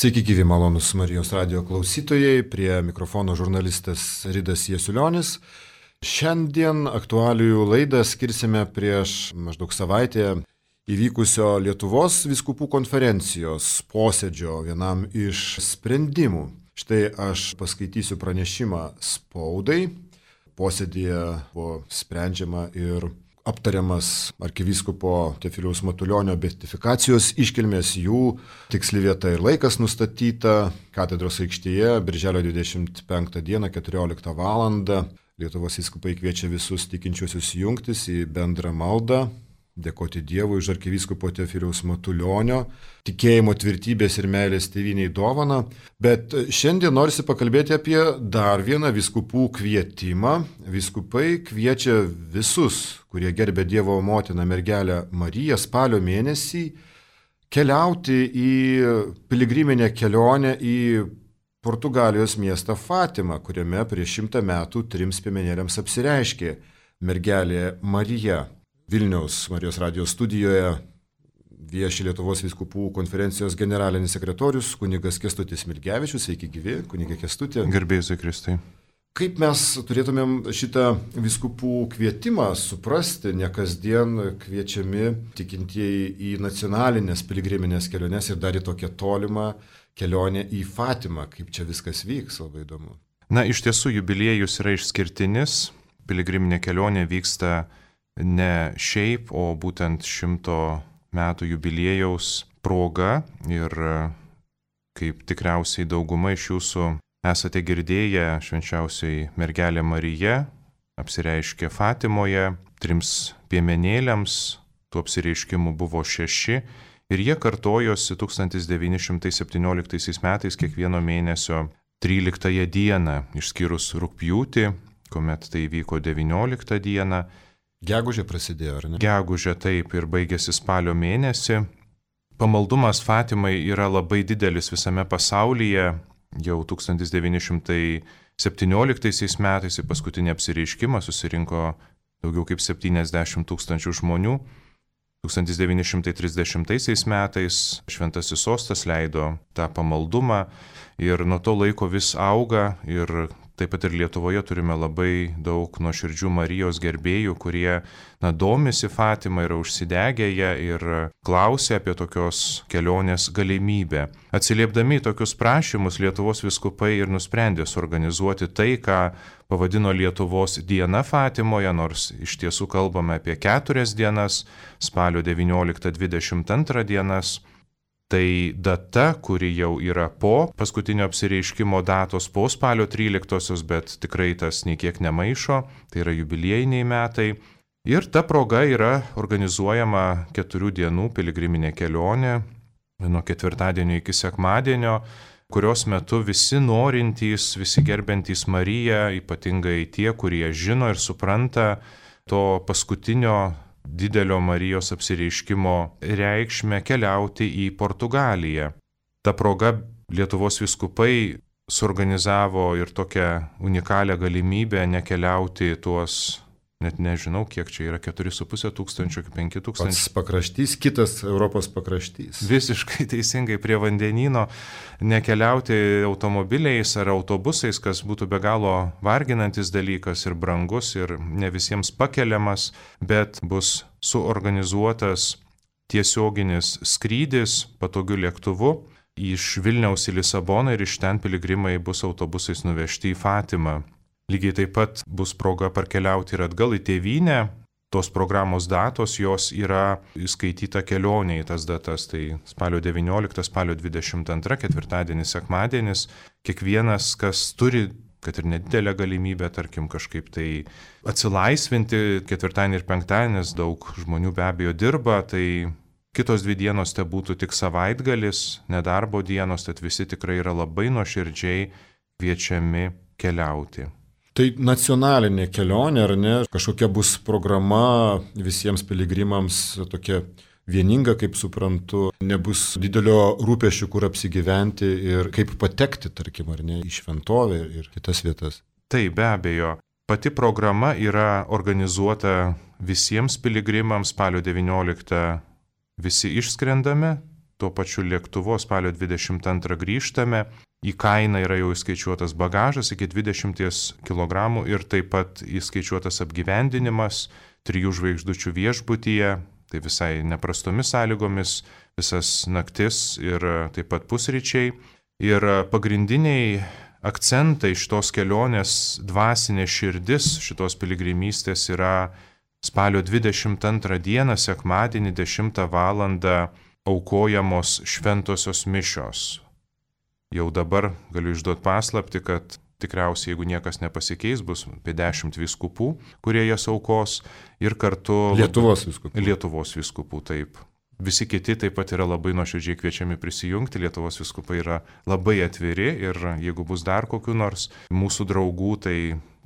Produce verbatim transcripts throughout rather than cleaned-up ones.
Sveiki gyvi malonus Marijos radio klausytojai, prie mikrofono žurnalistas Ridas Jasiulionis. Šiandien aktualijų laidą skirsime prieš maždaug savaitę įvykusio Lietuvos vyskupų konferencijos posėdžio vienam iš sprendimų. Štai aš paskaitysiu pranešimą spaudai. Posėdėje buvo sprendžiama ir aptariamas arkivyskupo Teofiliaus Matulionio beatifikacijos iškilmės, jų tiksli vieta ir laikas nustatyta katedros aikštėje birželio dvidešimt penktą dieną keturioliktą valandą. Lietuvos vyskupai kviečia visus tikinčiuosius jungtis į bendrą maldą, dėkoti Dievui už arkivyskupo Teofiliaus Matulionio tikėjimo tvirtybės ir meilės tėvynei dovaną. Bet šiandien norisi pakalbėti apie dar vieną vyskupų kvietimą. Vyskupai kviečia visus, kurie gerbė Dievo motiną mergelę Mariją, spalio mėnesį keliauti į piligriminę kelionę į Portugalijos miestą Fatimą, kuriame prieš šimtą metų trims piemenėliams apsireiškė mergelė Marija. Vilniaus Marijos radijos studijoje vieši Lietuvos vyskupų konferencijos generalinis sekretorius kunigas Kęstutis Smilgevičius. Sveiki gyvi, kunige Kęstuti. Garbėjai Jėzui Kristui. Kaip mes turėtumėm šitą vyskupų kvietimą suprasti, ne kasdien kviečiami tikintieji į nacionalinės piligriminės keliones ir dar į tokią tolimą kelionę į Fatimą. Kaip čia viskas vyks, labai įdomu. Na, iš tiesų jubiliejus yra išskirtinis. Piligriminė kelionė vyksta ne šiaip, o būtent šimto metų jubiliejaus proga. Ir kaip tikriausiai dauguma iš jūsų esate girdėję, švenčiausioji mergelė Marija apsireiškė Fatimoje trims piemenėliams, tų apsireiškimų buvo šeši ir jie kartojosi tūkstantis devyni šimtai septynioliktaisiais metais kiekvieno mėnesio tryliktąją dieną, išskyrus rugpjūtį, kuomet tai vyko devynioliktą dieną. Gegužė prasidėjo, ar ne? Gegužė taip ir baigėsi spalio mėnesį. Pamaldumas Fatimai yra labai didelis visame pasaulyje. Jau tūkstantis devyni šimtai septynioliktaisiais metais į paskutinį apsireiškimą susirinko daugiau kaip septyniasdešimt tūkstančių žmonių. tūkstantis devyni šimtai trisdešimtaisiais metais Šventasis Sostas leido tą pamaldumą ir nuo to laiko vis auga ir taip pat ir Lietuvoje turime labai daug nuoširdžių Marijos gerbėjų, kurie na, domisi Fatima, yra užsidegę ją ir klausia apie tokios kelionės galimybę. Atsiliepdami į tokius prašymus Lietuvos vyskupai ir nusprendė suorganizuoti tai, ką pavadino Lietuvos diena Fatimoje, nors iš tiesų kalbame apie keturias dienas, spalio devynioliktą dvidešimt antrą dienas. Tai data, kuri jau yra po paskutinio apsireiškimo datos, po spalio tryliktosios, bet tikrai tas nei kiek nemaišo, tai yra jubiliejiniai metai. Ir ta proga yra organizuojama keturių dienų piligriminė kelionė nuo ketvirtadienio iki sekmadienio, kurios metu visi norintys, visi gerbentys Mariją, ypatingai tie, kurie žino ir supranta to paskutinio didelio Marijos apsireiškimo reikšmę keliauti į Portugaliją. Ta proga Lietuvos vyskupai suorganizavo ir tokią unikalią galimybę nekeliauti tuos, net nežinau, kiek čia yra, keturi su pusė tūkstančių, penki tūkstančiai. Pats pakraštys, kitas Europos pakraštys. Visiškai teisingai prie vandenyno, nekeliauti automobiliais ar autobusais, kas būtų be galo varginantis dalykas ir brangus ir ne visiems pakeliamas, bet bus suorganizuotas tiesioginis skrydis patogiu lėktuvu iš Vilniaus į Lisaboną ir iš ten piligrimai bus autobusais nuvežti į Fatimą. Lygiai taip pat bus proga parkeliauti ir atgal į tėvynę. Tos programos datos, jos yra įskaityta kelionė į tas datas. Tai spalio devyniolikta, spalio dvidešimt antra, ketvirtadienis, sekmadienis. Kiekvienas, kas turi, kad ir nedidelę galimybę, tarkim, kažkaip tai atsilaisvinti ketvirtadienį ir penktadienį, nes daug žmonių be abejo dirba, tai kitos dvi dienos te būtų tik savaitgalis, nedarbo dienos, tad visi tikrai yra labai nuoširdžiai kviečiami keliauti. Tai nacionalinė kelionė, ar ne? Kažkokia bus programa visiems piligrimams tokia vieninga, kaip suprantu, nebus didelio rūpesčių, kur apsigyventi ir kaip patekti, tarkim, ar ne, į šventovę ir kitas vietas. Tai be abejo. Pati programa yra organizuota visiems piligrimams spalio devynioliktą. Visi išskrendame, tuo pačiu lėktuvu spalio dvidešimt antrą grįžtame. Į kainą yra jau įskaičiuotas bagažas iki dvidešimt kilogramų ir taip pat įskaičiuotas apgyvendinimas trijų žvaigždučių viešbutyje, tai visai neprastomis sąlygomis, visas naktis ir taip pat pusryčiai. Ir pagrindiniai akcentai šitos kelionės dvasinė širdis šitos piligrimystės yra spalio dvidešimt antrą dieną, sekmadienį dešimtą valandą aukojamos šventosios mišios. Jau dabar galiu išduoti paslapti, kad tikriausiai, jeigu niekas nepasikeis, bus apie dešimt vyskupų, kurie jas aukos ir kartu... Lietuvos vyskupų. Lietuvos vyskupų, taip. Visi kiti taip pat yra labai nuoširdžiai kviečiami prisijungti, Lietuvos vyskupai yra labai atviri ir jeigu bus dar kokių nors mūsų draugų, tai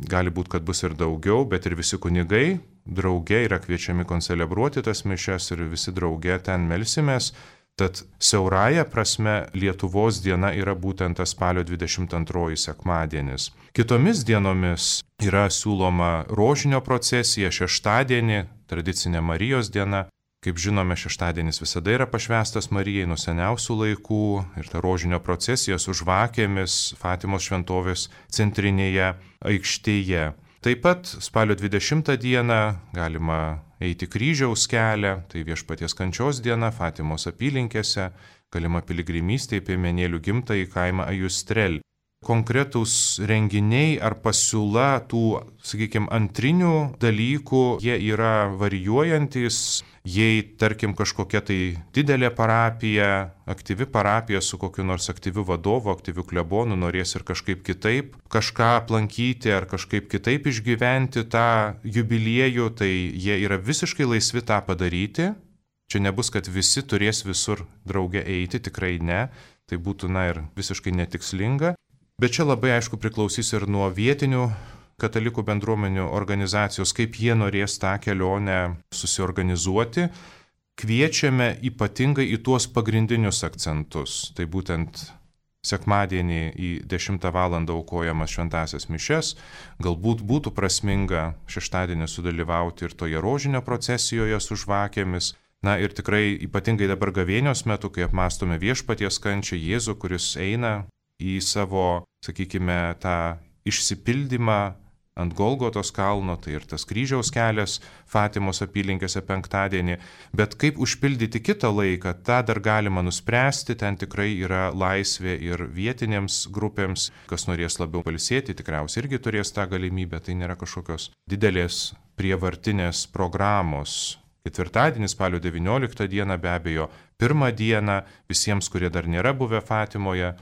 gali būti, kad bus ir daugiau, bet ir visi kunigai drauge yra kviečiami koncelebruoti tas mišias ir visi drauge ten melsimės. Tad siaurąja prasme Lietuvos diena yra būtent tas spalio dvidešimt antroji sekmadienis. Kitomis dienomis yra siūloma rožinio procesija, šeštadienį, tradicinė Marijos diena. Kaip žinome, šeštadienis visada yra pašvęstas Marijai nuo seniausių laikų ir ta rožinio procesija su žvakėmis Fatimos šventovės centrinėje aikštėje. Taip pat spalio dvidešimtą dieną galima eiti kryžiaus kelią, tai Viešpaties kančios diena Fatimos apylinkėse, galima piligrimystė į Piemenėlių gimtąjį kaimą Ajustrel. Konkretūs renginiai ar pasiūla tų, sakykime, antrinių dalykų, jie yra varijuojantis. Jei, tarkim, kažkokia tai didelė parapija, aktyvi parapija su kokiu nors aktyviu vadovu, aktyviu klebonu norės ir kažkaip kitaip kažką aplankyti ar kažkaip kitaip išgyventi tą jubiliejų, tai jie yra visiškai laisvi tą padaryti. Čia nebus, kad visi turės visur drauge eiti, tikrai ne, tai būtų, na, ir visiškai netikslinga. Bet čia labai aišku priklausys ir nuo vietinių katalikų bendruomenių organizacijos, kaip jie norės tą kelionę susiorganizuoti. Kviečiame ypatingai į tuos pagrindinius akcentus. Tai būtent sekmadienį į dešimtą valandą aukojamas šventąsias mišias. Galbūt būtų prasminga šeštadienį sudalyvauti ir toje rožinio procesijoje su žvakėmis. Na ir tikrai ypatingai dabar gavėnios metu, kai apmąstome Viešpaties kančią, Jėzų, kuris eina į savo, sakykime, tą išsipildymą ant Golgotos kalno, tai ir tas kryžiaus kelias Fatimos apylinkėse penktadienį, bet kaip užpildyti kitą laiką, tą dar galima nuspręsti, ten tikrai yra laisvė ir vietinėms grupėms, kas norės labiau pailsėti, tikriausiai irgi turės tą galimybę, tai nėra kažkokios didelės prievartinės programos. Ketvirtadienį, spalio devynioliktą dieną, be abejo, pirmą dieną visiems, kurie dar nėra buvę Fatimoje,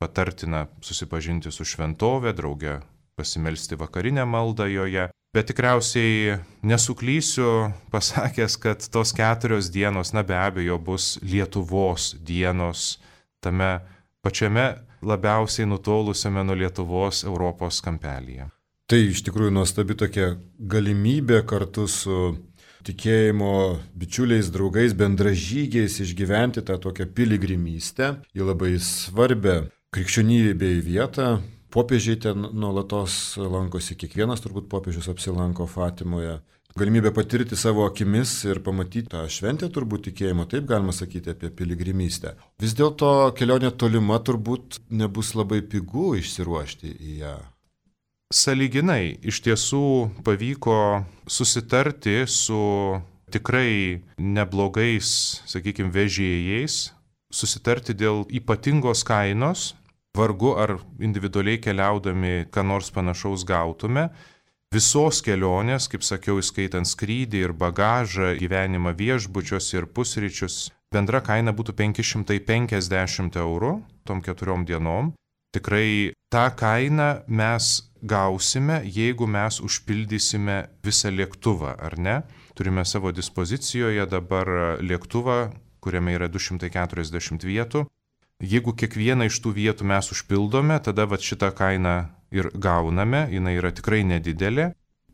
patartina susipažinti su šventove, drauge pasimelsti vakarinę maldą joje. Bet tikriausiai nesuklysiu pasakęs, kad tos keturios dienos, na be abejo, bus Lietuvos dienos tame pačiame labiausiai nutolusiame nuo Lietuvos Europos kampelyje. Tai iš tikrųjų nuostabi tokia galimybė kartu su tikėjimo bičiuliais, draugais, bendražygiais išgyventi tą tokią piligrimystę į labai svarbę krikščionybei vietą. Popiežiai ten nuolatos lankosi, kiekvienas turbūt popiežius apsilanko Fatimoje. Galimybė patirti savo akimis ir pamatyti tą šventę turbūt tikėjimo, taip galima sakyti apie piligrimystę. Vis dėlto kelionė tolima turbūt nebus labai pigu išsiruošti į ją. Sąlyginai iš tiesų pavyko susitarti su tikrai neblogais, sakykime, vežėjais, susitarti dėl ypatingos kainos. Vargu ar individualiai keliaudami ką nors panašaus gautume. Visos kelionės, kaip sakiau, įskaitant skrydį ir bagažą, gyvenimą viešbučiuose ir pusryčius, bendra kaina būtų penki šimtai penkiasdešimt eurų tom keturiom dienom. Tikrai tą kainą mes gausime, jeigu mes užpildysime visą lėktuvą, ar ne? Turime savo dispozicijoje dabar lėktuvą, kuriame yra du šimtai keturiasdešimt vietų. Jeigu kiekvieną iš tų vietų mes užpildome, tada vat šitą kainą ir gauname, jinai yra tikrai nedidelė.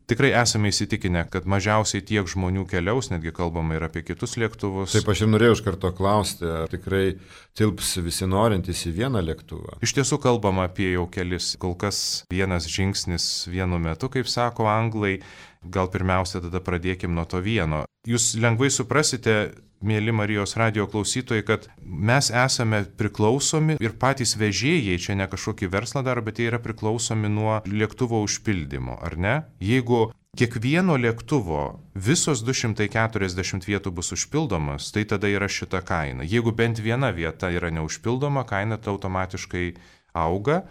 Tikrai esame įsitikinę, kad mažiausiai tiek žmonių keliaus, netgi kalbama ir apie kitus lėktuvus. Taip, aš ir norėjau iš karto klausti, ar tikrai tilps visi norintys į vieną lėktuvą? Iš tiesų kalbama apie jau kelis, kol kas vienas žingsnis vienu metu, kaip sako anglai. gal pirmiausia tada pradėkim nuo to vieno. Jūs lengvai suprasite, mėly Marijos radijo klausytojai, kad mes esame priklausomi ir patys vežėjai, čia ne kažkokį verslą daro, bet jie yra priklausomi nuo lėktuvo užpildymo, ar ne? Jeigu kiekvieno lėktuvo visos du šimtai keturiasdešimt vietų bus užpildomas, tai tada yra šita kaina. Jeigu bent viena vieta yra neužpildoma, kaina tai automatiškai auga.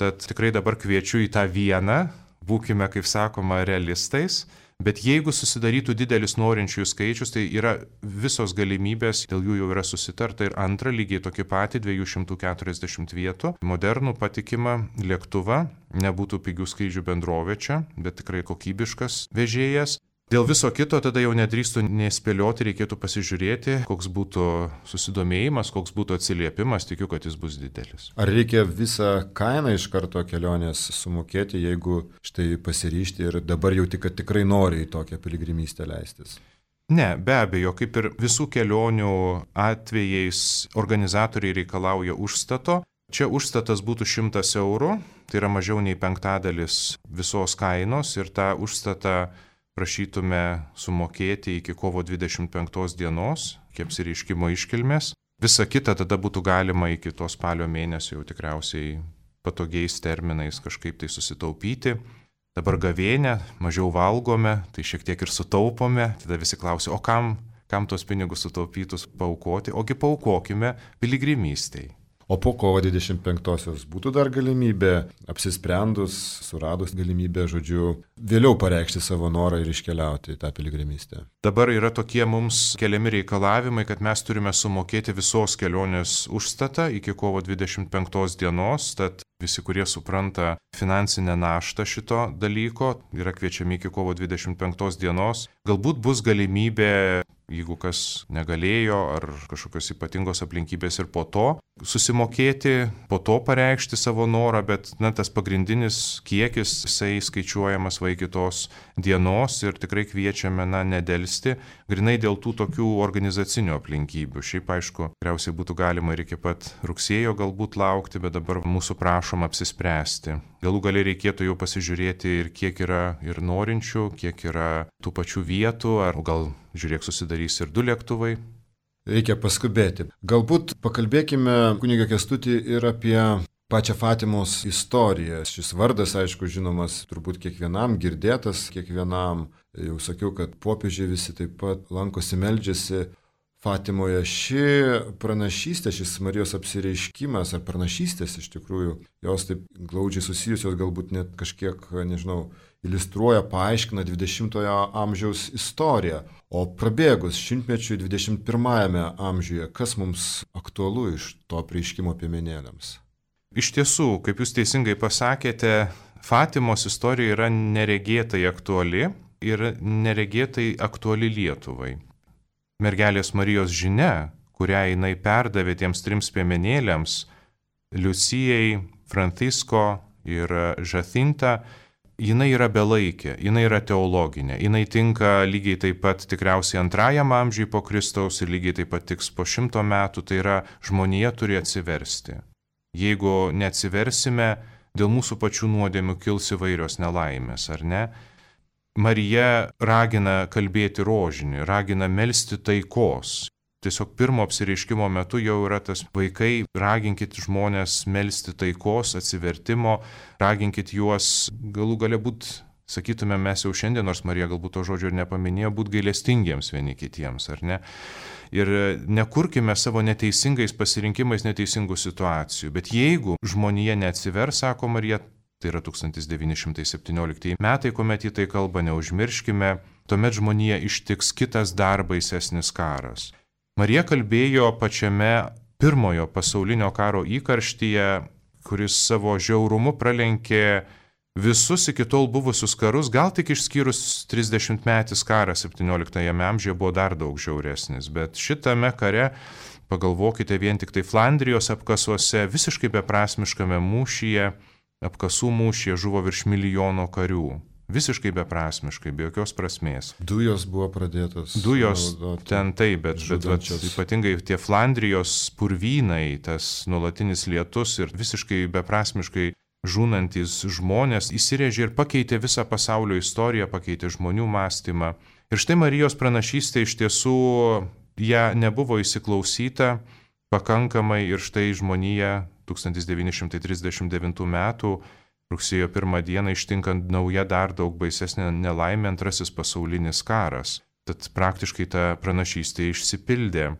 Tad tikrai dabar kviečiu į tą vieną, būkime, kaip sakoma, realistais. Bet jeigu susidarytų didelis norinčiųjų skaičius, tai yra visos galimybės, dėl jų jau yra susitarta. Ir antra, lygiai tokį patį dviejų šimtų keturiasdešimt vietų, modernų patikimą lėktuvą, nebūtų pigių skrydžių bendrovė čia, bet tikrai kokybiškas vežėjas. Dėl viso kito tada jau nedrįstų nespėlioti, reikėtų pasižiūrėti, koks būtų susidomėjimas, koks būtų atsiliepimas, tikiu, kad jis bus didelis. Ar reikia visą kainą iš karto kelionės sumokėti, jeigu štai pasiryžti ir dabar jau tik, kad tikrai nori į tokią piligrimystę leistis? Ne, be abejo, kaip ir visų kelionių atvejais organizatoriai reikalauja užstato. Čia užstatas būtų šimtas eurų, tai yra mažiau nei penktadalis visos kainos ir tą užstatą prašytume sumokėti iki kovo dvidešimt penktos dienos, iki apsireiškimo iškilmės. Visa kita tada būtų galima iki to spalio mėnesio jau tikriausiai patogiais terminais kažkaip tai susitaupyti. Dabar gavėnė, mažiau valgome, tai šiek tiek ir sutaupome. Tada visi klausia, o kam, kam tos pinigus sutaupytus paaukoti? Ogi paaukokime piligrimystei. O po kovo dvidešimt penktosios būtų dar galimybė, apsisprendus, suradus galimybę, žodžiu, vėliau pareikšti savo norą ir iškeliauti į tą piligrimystę. Dabar yra tokie mums keliami reikalavimai, kad mes turime sumokėti visos kelionės užstatą iki kovo dvidešimt penktos dienos, tad visi, kurie supranta finansinę naštą šito dalyko, yra kviečiami iki kovo dvidešimt penktos dienos. Galbūt bus galimybė, jeigu kas negalėjo ar kažkokios ypatingos aplinkybės ir po to susimokėti, po to pareikšti savo norą, bet na, tas pagrindinis kiekis, jisai skaičiuojamas va iki tos dienos ir tikrai kviečiame na, nedelsti, grinai dėl tų tokių organizacinių aplinkybių. Šiaip aišku, tikriausiai būtų galima ir iki pat rugsėjo galbūt laukti, bet dabar mūsų prašom apsispręsti. Galų galiai reikėtų jau pasižiūrėti ir kiek yra ir norinčių, kiek yra tų pačių vietų, ar gal žiūrėk susidarys ir du lėktuvai. Reikia paskubėti. Galbūt pakalbėkime, kunigą Kęstutį, ir apie pačią Fatimos istoriją. Šis vardas, aišku, žinomas turbūt kiekvienam, girdėtas kiekvienam. Jau sakiau, kad popiežiai visi taip pat lankosi, meldžiasi Fatimoje. Ši pranašystė, šis Marijos apsireiškimas ar pranašystės iš tikrųjų, jos taip glaudžiai susijusios, galbūt net kažkiek, nežinau, iliustruoja, paaiškina dvidešimtojo amžiaus istoriją. O prabėgus šimtmečiui dvidešimt pirmajame amžiuje, kas mums aktualu iš to apreiškimo piemenėliams? Iš tiesų, kaip jūs teisingai pasakėte, Fatimos istorija yra neregėtai aktuali ir neregėtai aktuali Lietuvai. Mergelės Marijos žinia, kurią jinai perdavė tiems trims piemenėliams, Liucijai, Francisko ir Žacinta, jinai yra belaikė, jinai yra teologinė, jinai tinka lygiai taip pat tikriausiai antrajam amžiui po Kristaus ir lygiai taip pat tiks po šimto metų, tai yra žmonija turi atsiversti. Jeigu neatsiversime, dėl mūsų pačių nuodėmių kils įvairios nelaimės, ar ne? Marija ragina kalbėti rožinį, ragina melsti taikos. Tiesiog pirmo apsireiškimo metu jau yra tas vaikai, raginkit žmonės melsti taikos, atsivertimo, raginkit juos galų gale būt, sakytume mes jau šiandien, nors Marija galbūt to žodžio ir nepaminėjo, būt gailestingiems vieni kitiems, ar ne? Ir nekurkime savo neteisingais pasirinkimais neteisingų situacijų. Bet jeigu žmonija neatsivers, sako Marija, tai yra tūkstantis devyni šimtai septynioliktieji metai, kuomet į tai kalba, neužmirškime, tuomet žmonija ištiks kitas dar baisesnis karas. Marija kalbėjo pačiame pirmojo pasaulinio karo įkarštyje, kuris savo žiaurumu pralenkė visus iki tol buvusius karus, gal tik išskyrus trisdešimtmetis karas septynioliktajame amžiuje buvo dar daug žiauresnis, bet šitame kare, pagalvokite, vien tik tai Flandrijos apkasuose, visiškai beprasmiškame mūšyje, apkasų mūšyje žuvo virš milijono karių. Visiškai beprasmiškai, be jokios prasmės. Dujos buvo pradėtos. Dujos ten taip, bet, bet, bet ypatingai tie Flandrijos purvynai, tas nuolatinis lietus ir visiškai beprasmiškai žūnantis žmonės įsirėžė ir pakeitė visą pasaulio istoriją, pakeitė žmonių mąstymą. Ir štai Marijos pranašystė iš tiesų ją nebuvo įsiklausyta pakankamai ir štai žmonija tūkstantis devyni šimtai trisdešimt devintų metų rugsėjo pirmą dieną ištinkant nauja dar daug baisesnė nelaimė, antrasis pasaulinis karas. Tad praktiškai ta pranašystė išsipildė.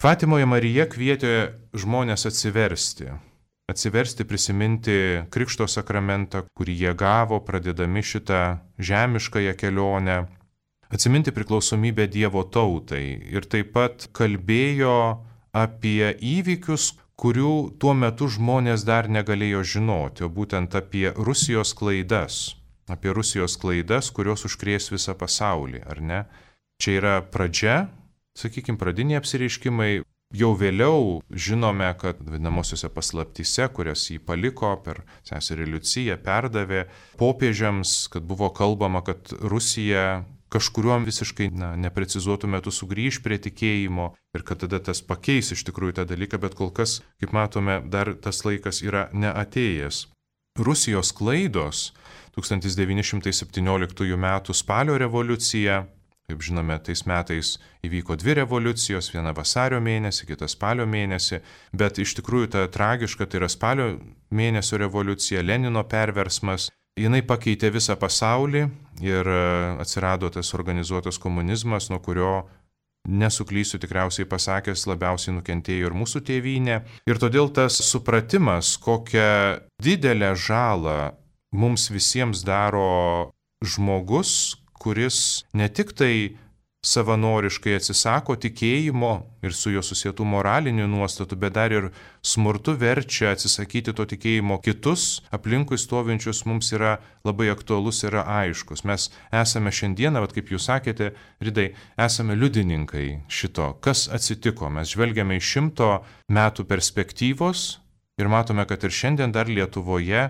Fatimoje Marija kvietė žmonės atsiversti. Atsiversti, prisiminti Krikšto sakramentą, kurį jie gavo, pradėdami šitą žemiškąją kelionę. Atsiminti priklausomybę Dievo tautai ir taip pat kalbėjo apie įvykius, kurių tuo metu žmonės dar negalėjo žinoti, o būtent apie Rusijos klaidas, apie Rusijos klaidas, kurios užkrės visą pasaulį, ar ne? Čia yra pradžia, sakykime, pradiniai apsireiškimai, jau vėliau žinome, kad vadinamosiose paslaptyse, kurias jį paliko per seserį Liuciją, perdavė popiežiams, kad buvo kalbama, kad Rusija kažkuriuom visiškai na, neprecizuotų metų sugrįž prie tikėjimo ir kad tada tas pakeis iš tikrųjų tą dalyką, bet kol kas, kaip matome, dar tas laikas yra neatėjęs. Rusijos klaidos tūkstantis devyni šimtai septynioliktųjų metų spalio revoliucija, kaip žinome, tais metais įvyko dvi revoliucijos, viena vasario mėnesį, kita spalio mėnesį, bet iš tikrųjų ta tragiška, tai yra spalio mėnesio revoliucija, Lenino perversmas, jinai pakeitė visą pasaulį ir atsirado tas organizuotas komunizmas, nuo kurio, nesuklysiu tikriausiai pasakęs, labiausiai nukentėjo ir mūsų tėvynė. Ir todėl tas supratimas, kokią didelę žalą mums visiems daro žmogus, kuris ne tik tai savanoriškai atsisako tikėjimo ir su jo susietų moralinių nuostatų, bet dar ir smurtu verčia atsisakyti to tikėjimo kitus, aplinkui stovinčius, mums yra labai aktualus, yra aiškus. Mes esame šiandieną, vat kaip jūs sakėte, Ridai, esame liudininkai šito, kas atsitiko. Mes žvelgiame iš šimto metų perspektyvos ir matome, kad ir šiandien dar Lietuvoje,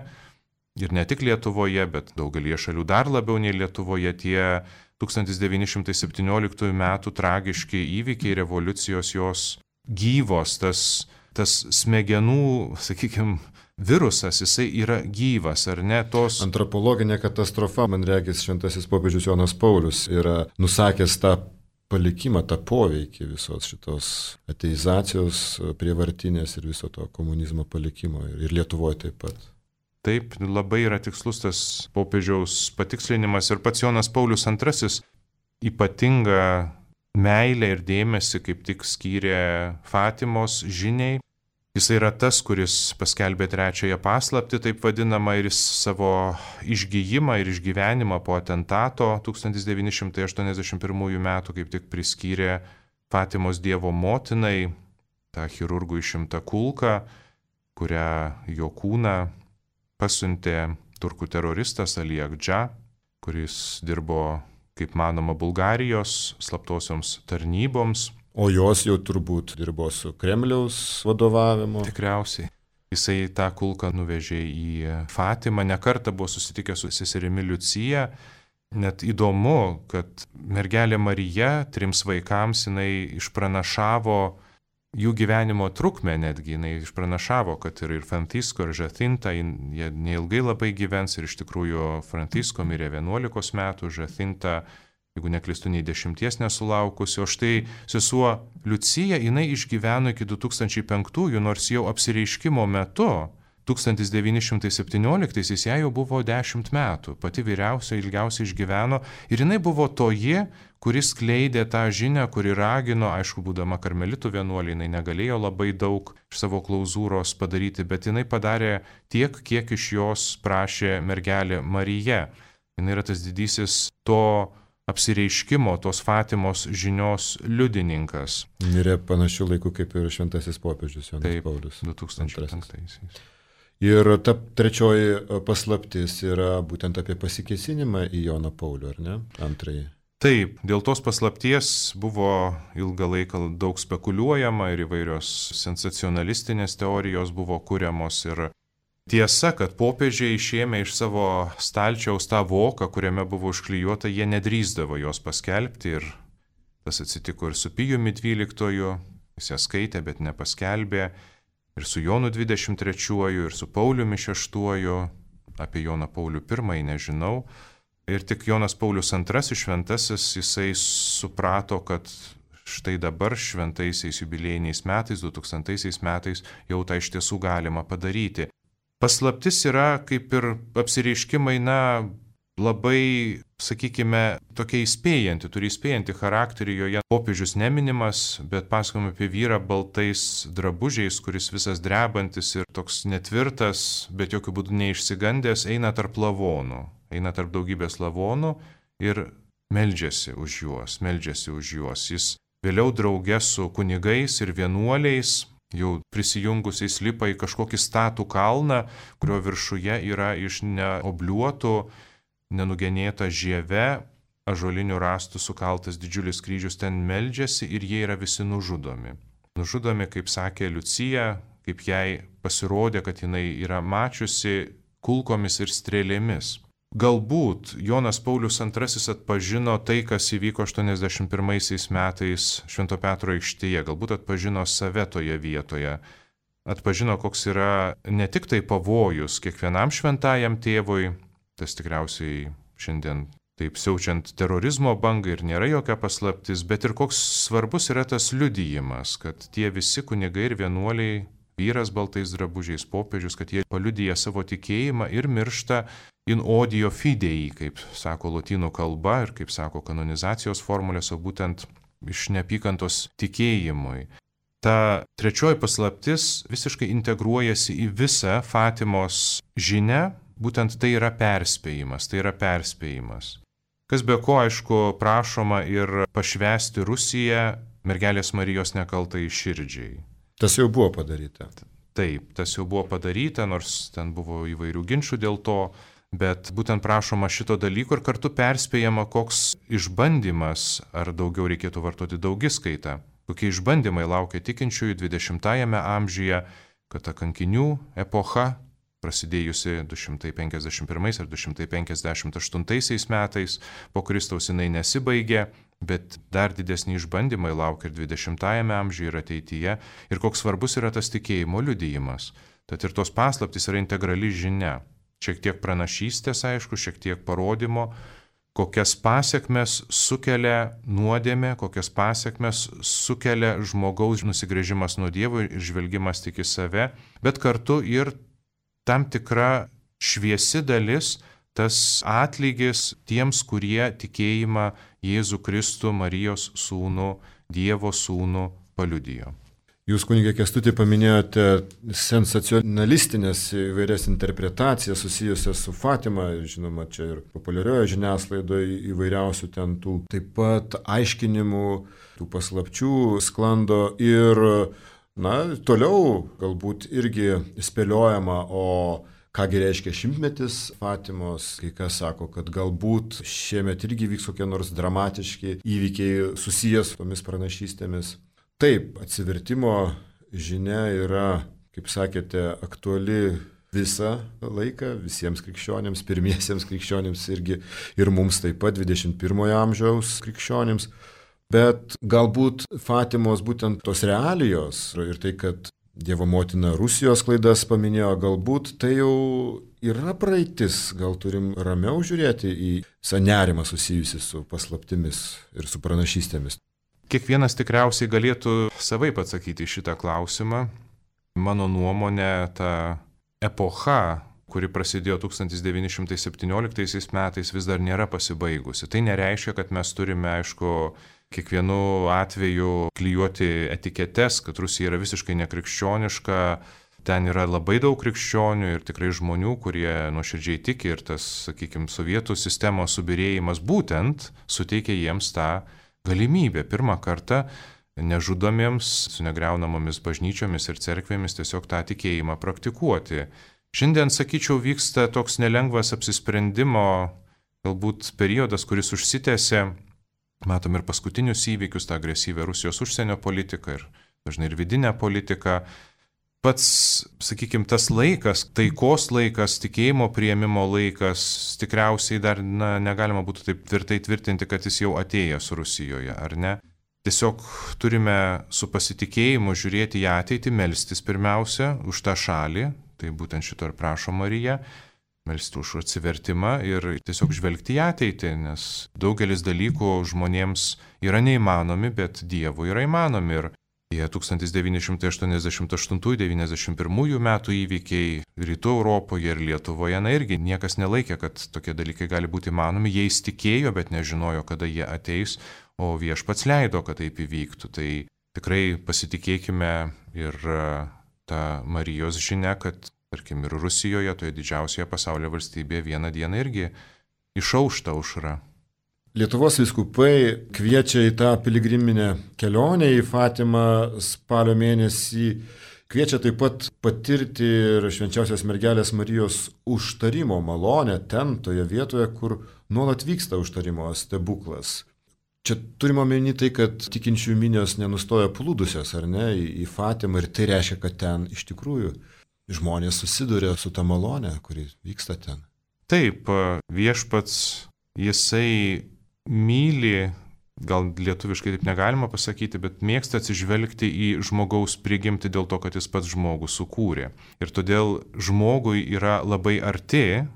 ir ne tik Lietuvoje, bet daugelie šalių dar labiau nei Lietuvoje, tie tūkstantis devyni šimtai septynioliktųjų metų tragiški įvykiai, revoliucijos jos gyvos, tas, tas smegenų, sakykime, virusas, jisai yra gyvas, ar ne? Tos... Antropologinė katastrofa, man regis, šventasis popiežius Jonas Paulius yra nusakęs tą palikimą, tą poveikį visos šitos ateizacijos prievartinės ir viso to komunizmo palikimo ir Lietuvoje taip pat. Taip, labai yra tikslus tas popiežiaus patikslinimas ir pats Jonas Paulius antrasis ypatingą meilę ir dėmesį kaip tik skyrė Fatimos žiniai. Jis yra tas, kuris paskelbė trečiąją paslaptį, taip vadinamą, ir savo išgijimą ir išgyvenimą po atentato tūkstantis devyni šimtai aštuoniasdešimt pirmųjų metų kaip tik priskyrė Fatimos Dievo motinai, tą chirurgų išimtą kulką, kurią jo kūną pasiuntė turkų teroristas Ali Agdža, kuris dirbo, kaip manoma, Bulgarijos slaptosioms tarnyboms. O jos jau turbūt dirbo su Kremliaus vadovavimu. Tikriausiai. Jisai tą kulką nuvežė į Fatimą, nekartą buvo susitikęs su seserimi Liucija. Net įdomu, kad mergelė Marija trims vaikams jinai išpranašavo jų gyvenimo trukmę netgi, jinai išpranašavo, kad ir, ir Francisko, ir Žacinta, jie neilgai labai gyvens ir iš tikrųjų Francisko mirė vienuolikos metų, Žacinta, jeigu neklystu, nei dešimties nesulaukusi, o štai sesuo Liucija, jinai išgyveno iki du tūkstančiai penktųjų, nors jau apsireiškimo metu, tūkstantis devyni šimtai septynioliktaisiais, jai jau buvo dešimt metų, pati vyriausia ilgiausiai išgyveno ir jinai buvo toji, kuris skleidė tą žinią, kuri ragino, aišku, būdama karmelitų vienuolė, jinai negalėjo labai daug iš savo klauzūros padaryti, bet jinai padarė tiek, kiek iš jos prašė mergelė Marija. Jinai yra tas didysis to apsireiškimo, tos Fatimos žinios liudininkas. Mirė panašių laikų kaip ir šventasis popiežius Jonas Taip, Paulius. du tūkstančiai penktaisiais. Ir ta trečioji paslaptis yra būtent apie pasikėsinimą į Joną Paulių, ar ne? Antrąjį. Taip, dėl tos paslapties buvo ilgą laiką daug spekuliuojama ir įvairios sensacionalistinės teorijos buvo kuriamos. Ir tiesa, kad popiežiai išėmė iš savo stalčiaus tą voką, kuriame buvo užklijuota, jie nedrįsdavo jos paskelbti. Ir tas atsitiko ir su Pijumi dvyliktuoju, jis ją skaitė, bet nepaskelbė. ir su Jonu dvidešimt trečiuoju, ir su Pauliumi šeštuoju, apie Joną Paulių pirmąjį nežinau. Ir tik Jonas Paulius antrasis šventasis, jisai suprato, kad štai dabar šventaisiais jubiliejiniais metais, du tūkstantaisiais metais jau tą iš tiesų galima padaryti. Paslaptis yra kaip ir apsireiškimai, na, labai, sakykime, tokia įspėjanti, turi įspėjantį charakterį, joje popiežius neminimas, bet pasakojama apie vyrą baltais drabužiais, kuris visas drebantis ir toks netvirtas, bet jokių būdų neišsigandęs, eina tarp lavonų, eina tarp daugybės lavonų ir meldžiasi už juos, meldžiasi už juos. Jis vėliau drauge su kunigais ir vienuoliais, jau prisijungusiais lipa į kažkokį statų kalną, kurio viršuje yra iš neobliuotų, nenugenėta žieve, ąžuolinių rąstų sukaltas didžiulis kryžius, ten meldžiasi ir jie yra visi nužudomi. Nužudomi, kaip sakė Liucija, kaip jai pasirodė, kad jinai yra mačiusi kulkomis ir strėlėmis. Galbūt Jonas Paulius antrasis atpažino tai, kas įvyko aštuoniasdešimt pirmaisiais metais Švento Petro aikštėje, galbūt atpažino save toje vietoje, atpažino, koks yra ne tik tai pavojus kiekvienam šventajam tėvui, tas tikriausiai šiandien taip siaučiant terorizmo bangai ir nėra jokia paslaptis, bet ir koks svarbus yra tas liudijimas, kad tie visi kunigai ir vienuoliai, vyras baltais drabužiais, popiežius, kad jie paliudija savo tikėjimą ir miršta in odio fidei, kaip sako lotynų kalba ir kaip sako kanonizacijos formulės, o būtent iš neapykantos tikėjimui. Ta trečioji paslaptis visiškai integruojasi į visą Fatimos žinią. Būtent tai yra perspėjimas, tai yra perspėjimas. Kas be ko, aišku, prašoma ir pašvęsti Rusiją mergelės Marijos nekaltai širdžiai. Tas jau buvo padaryta. Taip, tas jau buvo padaryta, nors ten buvo įvairių ginčių dėl to, bet būtent prašoma šito dalyko ir kartu perspėjama, koks išbandymas, ar daugiau reikėtų vartoti daugiskaitą, kokie išbandymai laukia tikinčiųjų dvidešimtajame amžiuje, kad ta kankinių epocha, prasidėjusi du šimtai penkiasdešimt pirmais ar du šimtai penkiasdešimt aštuntaisiais metais, po Kristaus jinai nesibaigė, bet dar didesni išbandymai laukia ir dvidešimtajame amžiuje ir ateityje, ir koks svarbus yra tas tikėjimo liudijimas. Tad ir tos paslaptys yra integrali žinia. Šiek tiek pranašystės, aišku, šiek tiek parodymo, kokias pasiekmes sukelia nuodėmė, kokias pasiekmes sukelia žmogaus nusigręžimas nuo Dievo ir žvelgimas tik į save, bet kartu ir tam tikra šviesi dalis, tas atlygis tiems, kurie tikėjimą Jėzų Kristų, Marijos sūnų, Dievo sūnų paliudijo. Jūs, kunigė Kęstuti, paminėjote sensacionalistinės įvairias interpretacijas susijusias su Fatima, žinoma, čia ir populiarioje žiniasklaidoje įvairiausių ten tų taip pat aiškinimų, tų paslapčių sklando ir na, toliau galbūt irgi spėliojama, o kągi reiškia šimtmetis Fatimos, kai kas sako, kad galbūt šiemet irgi vyks kokie nors dramatiški įvykiai susijęs su tomis pranašystėmis. Taip, atsivertimo žinia yra, kaip sakėte, aktuali visą laiką, visiems krikščionims, pirmiesiems krikščionims irgi ir mums taip pat dvidešimt pirmojo amžiaus krikščionims. Bet galbūt Fatimos būtent tos realijos ir tai, kad Dievo motina Rusijos klaidas paminėjo, galbūt tai jau yra praeitis, gal turim ramiau žiūrėti į visą nerimą susijusi su paslaptimis ir su pranašystėmis. Kiekvienas tikriausiai galėtų savaip atsakyti šitą klausimą. Mano nuomonė, ta epocha, kuri prasidėjo tūkstantis devyni šimtai septynioliktaisiais metais, vis dar nėra pasibaigusi. Tai nereiškia, kad mes turime, aišku, kiekvienu atveju klijuoti etiketes, kad Rusija yra visiškai nekrikščioniška. Ten yra labai daug krikščionių ir tikrai žmonių, kurie nuoširdžiai tiki ir tas, sakykime, sovietų sistemos subirėjimas būtent suteikia jiems tą galimybę pirmą kartą nežudomiems, su negriaunamomis bažnyčiomis ir cerkvėmis tiesiog tą tikėjimą praktikuoti. Šiandien, sakyčiau, vyksta toks nelengvas apsisprendimo galbūt periodas, kuris užsitęsė. Matom ir paskutinius įvykius, tą agresyvę Rusijos užsienio politiką ir dažnai ir vidinę politiką. Pats, sakykime, tas laikas, taikos laikas, tikėjimo priėmimo laikas, tikriausiai dar na, negalima būtų taip tvirtai tvirtinti, kad jis jau atėjęs Rusijoje, ar ne? tiesiog turime su pasitikėjimu žiūrėti į ateitį, melstis pirmiausia už tą šalį, tai būtent šito ir prašo Marija, melstis už atsivertimą ir tiesiog žvelgti į ateitį, nes daugelis dalykų žmonėms yra neįmanomi, bet Dievui yra įmanomi. Ir tie tūkstantis devyni šimtai aštuoniasdešimt aštuntų devyniasdešimt pirmų metų įvykiai Rytų Europoje ir Lietuvoje, na irgi niekas nelaikė, kad tokie dalykai gali būti įmanomi, jie įstikėjo, bet nežinojo, kada jie ateis, o Viešpats leido, kad taip įvyktų. Tai tikrai pasitikėkime ir tą Marijos žinią, kad, tarkim, ir Rusijoje, toje didžiausioje pasaulio valstybėje, vieną dieną irgi išaušta aušra. Lietuvos vyskupai kviečia į tą piligriminę kelionę į Fatimą spalio mėnesį, kviečia taip pat patirti ir švenčiausios mergelės Marijos užtarimo malonę ten, toje vietoje, kur nuolat vyksta užtarimo stebuklas. Čia turime omeny tai, kad tikinčių minios nenustoja plūdusios, ar ne, į Fatimą, ir tai reiškia, kad ten iš tikrųjų žmonės susiduria su ta malonė, kuri vyksta ten. Taip, Viešpats, jisai myli, gal lietuviškai taip negalima pasakyti, bet mėgsta atsižvelgti į žmogaus prigimtį dėl to, kad jis pats žmogų sukūrė. Ir todėl žmogui yra labai arti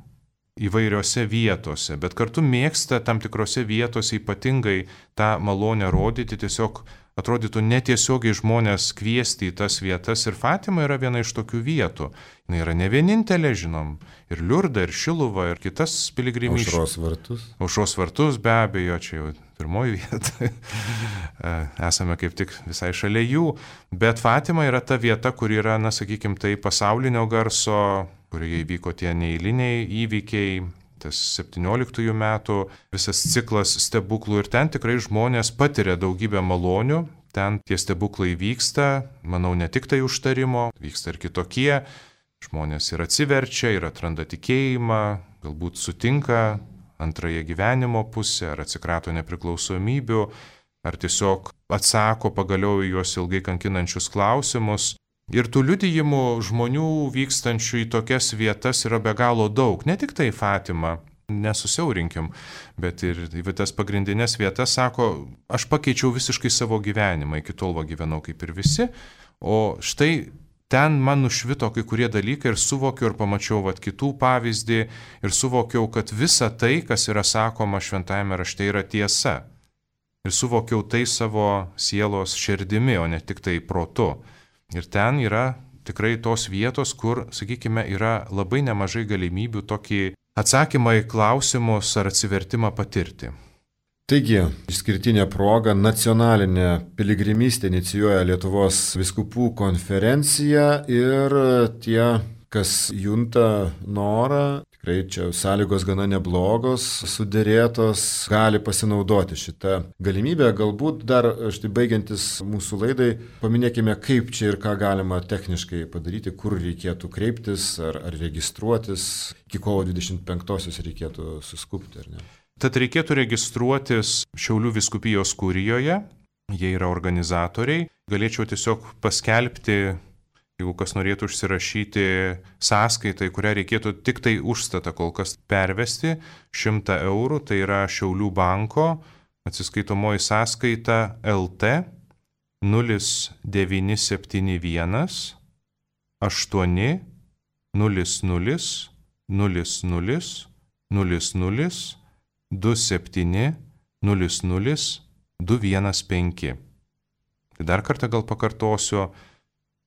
įvairiose vietose, bet kartu mėgsta tam tikrose vietose ypatingai tą malonę rodyti, tiesiog atrodytų netiesiogiai žmonės kviesti į tas vietas, ir Fatima yra viena iš tokių vietų. Jis yra ne vienintelė, žinom, ir Liurda, ir Šiluva, ir kitas piligrimysčių. Aušros vartus. Aušros vartus, be abejo, čia jau pirmoji vieta. Esame kaip tik visai šalia jų, bet Fatima yra ta vieta, kur yra, na, sakykim, tai pasaulinio garso, kurioje įvyko tie neeiliniai įvykiai, tas septynioliktųjų metų visas ciklas stebuklų, ir ten tikrai žmonės patiria daugybę malonių, ten tie stebuklai vyksta, manau, ne tik tai užtarimo, vyksta ir kitokie, žmonės ir atsiverčia, ir atranda tikėjimą, galbūt sutinka antrąją gyvenimo pusę, ar atsikrato nepriklausomybių, ar tiesiog atsako pagaliau į juos ilgai kankinančius klausimus. Ir tų liudijimų žmonių vykstančių į tokias vietas yra be galo daug. Ne tik tai Fatima, nesusiaurinkim, bet ir į tas pagrindinės vietas sako, aš pakeičiau visiškai savo gyvenimą, iki tol va gyvenau kaip ir visi, o štai ten man nušvito kai kurie dalykai ir suvokiau ir pamačiau vat kitų pavyzdį ir suvokiau, kad visa tai, kas yra sakoma šventajame rašte, yra tiesa. Ir suvokiau tai savo sielos širdimi, o ne tik tai protu. Ir ten yra tikrai tos vietos, kur, sakykime, yra labai nemažai galimybių tokį atsakymą į klausimus ar atsivertimą patirti. Taigi, išskirtinė proga nacionalinė piligrimystė inicijuoja Lietuvos vyskupų konferencija, ir tie, kas junta norą, tikrai čia sąlygos gana neblogos, sudėrėtos, gali pasinaudoti šitą galimybę. Galbūt dar, štai baigiantis mūsų laidai, paminėkime, kaip čia ir ką galima techniškai padaryti, kur reikėtų kreiptis ar, ar registruotis. Iki kovo dvidešimt penktosios reikėtų suskupti, ar ne? Tad reikėtų registruotis Šiaulių vyskupijos kurijoje, jie yra organizatoriai. Galėčiau tiesiog paskelbti, jeigu kas norėtų užsirašyti sąskaitą, kurią reikėtų tik tai užstatą kol kas pervesti, šimtą eurų, tai yra Šiaulių banko atsiskaitomoji sąskaita L T nulis devyni septyni vienas aštuoni nulis nulis nulis nulis nulis nulis du septyni nulis nulis du vienas penki. Tai dar kartą gal pakartosiu.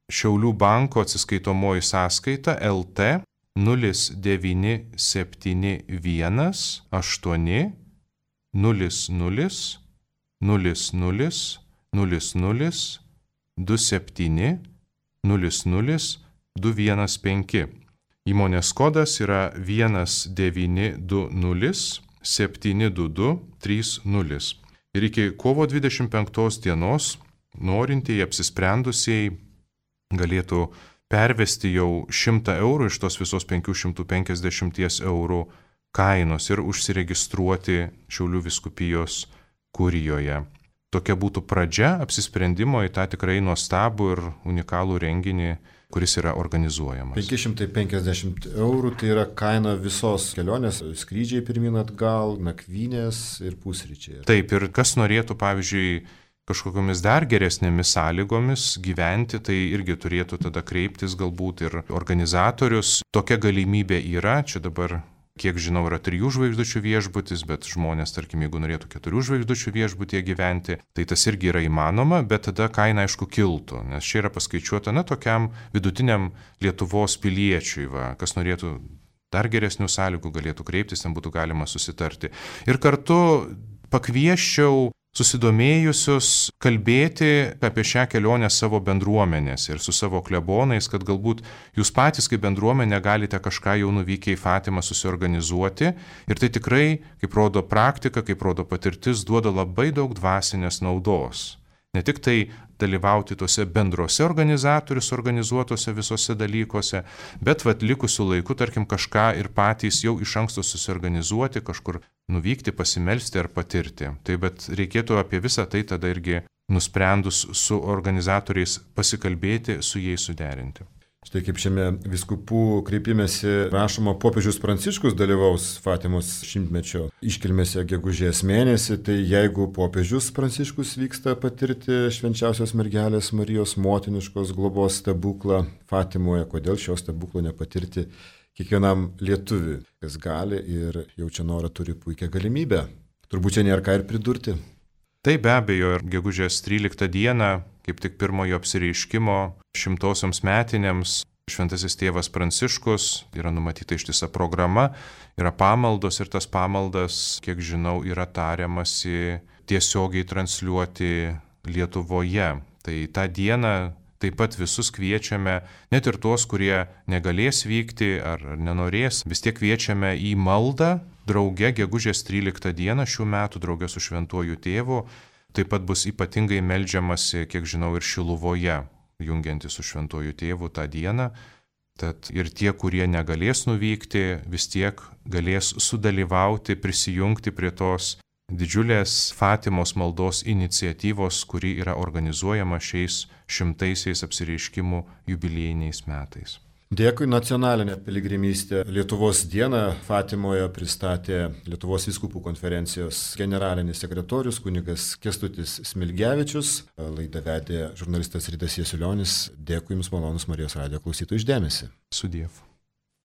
Šiaulių banko atsiskaitomoji sąskaita L T nulis devyni septyni vienas aštuoni nulis nulis nulis nulis nulis nulis du septyni nulis nulis du vienas penki. Įmonės kodas yra vienas devyni du nulis septyni du du trys nulis. Ir iki kovo dvidešimt penktos dienos norintieji apsisprendusiai galėtų pervesti jau šimtą eurų iš tos visos penkių šimtų penkiasdešimt eurų kainos ir užsiregistruoti Šiaulių vyskupijos kurijoje. Tokia būtų pradžia apsisprendimo į tą tikrai nuostabų ir unikalų renginį, kuris yra organizuojamas. penki šimtai penkiasdešimt eurų tai yra kaina visos kelionės, skrydžiai pirmyn atgal, nakvynės ir pusryčiai. Taip, ir kas norėtų, pavyzdžiui, kažkokiamis dar geresnėmis sąlygomis gyventi, tai irgi turėtų tada kreiptis galbūt ir organizatorius. Tokia galimybė yra, čia dabar, kiek žinau, yra trijų žvaigždučių viešbutis, bet žmonės, tarkim, jeigu norėtų keturių žvaigždučių viešbutyje gyventi, tai tas irgi yra įmanoma, bet tada kaina aišku kiltų, nes čia yra paskaičiuota, na, tokiam vidutiniam Lietuvos piliečiui, va, kas norėtų dar geresnių sąlygų, galėtų kreiptis, ten būtų galima susitarti. Ir kartu pakviesčiau susidomėjusius kalbėti apie šią kelionę savo bendruomenės ir su savo klebonais, kad galbūt jūs patys kaip bendruomenė galite kažką jau nuvykę į Fatimą susiorganizuoti. Ir tai tikrai, kaip rodo praktika, kaip rodo patirtis, duoda labai daug dvasinės naudos. Ne tik tai dalyvauti tuose bendrose organizatorius organizuotose visose dalykuose, bet vat likusiu laiku, tarkim, kažką ir patys jau iš anksto susiorganizuoti, kažkur nuvykti, pasimelsti ar patirti. Tai bet reikėtų apie visą tai tada irgi nusprendus su organizatoriais pasikalbėti, su jais suderinti. Štai kaip šiame vyskupų kreipimėsi rašoma, popiežius Pranciškus dalyvaus Fatimos šimtmečio iškilmėse gegužės mėnesį, tai jeigu popiežius Pranciškus vyksta patirti švenčiausios mergelės Marijos motiniškos globos stebuklą Fatimoje, kodėl šio stebuklo nepatirti kiekvienam lietuviui, kas gali ir jaučia norą, turi puikią galimybę. Turbūt čia nėra ką ir pridurti. Tai be abejo, ir gegužės tryliktą dieną, kaip tik pirmojo apsireiškimo šimtosioms metinėms, šventasis tėvas Pranciškus, yra numatyta ištisa programa, yra pamaldos ir tas pamaldas, kiek žinau, yra tariamasi tiesiogiai transliuoti Lietuvoje. Tai tą dieną taip pat visus kviečiame, net ir tuos, kurie negalės vykti ar nenorės, vis tiek kviečiame į maldą drauge gegužės tryliktą dieną šių metų drauge su šventuoju tėvu. Taip pat bus ypatingai meldžiamasi, kiek žinau, ir Šiluvoje, jungiantis su šventuoju tėvu tą dieną. Tad ir tie, kurie negalės nuvykti, vis tiek galės sudalyvauti, prisijungti prie tos didžiulės Fatimos maldos iniciatyvos, kuri yra organizuojama šiais šimtaisiais apsireiškimų jubiliejiniais metais. Dėkui, nacionalinė piligrimystė Lietuvos dieną Fatimoje pristatė Lietuvos vyskupų konferencijos generalinis sekretorius kunigas Kęstutis Smilgevičius. Laidą vedė žurnalistas Ridas Jasiulionis. Dėkui Jums, malonus Marijos radijo klausytojų, už dėmesį. Sudiev.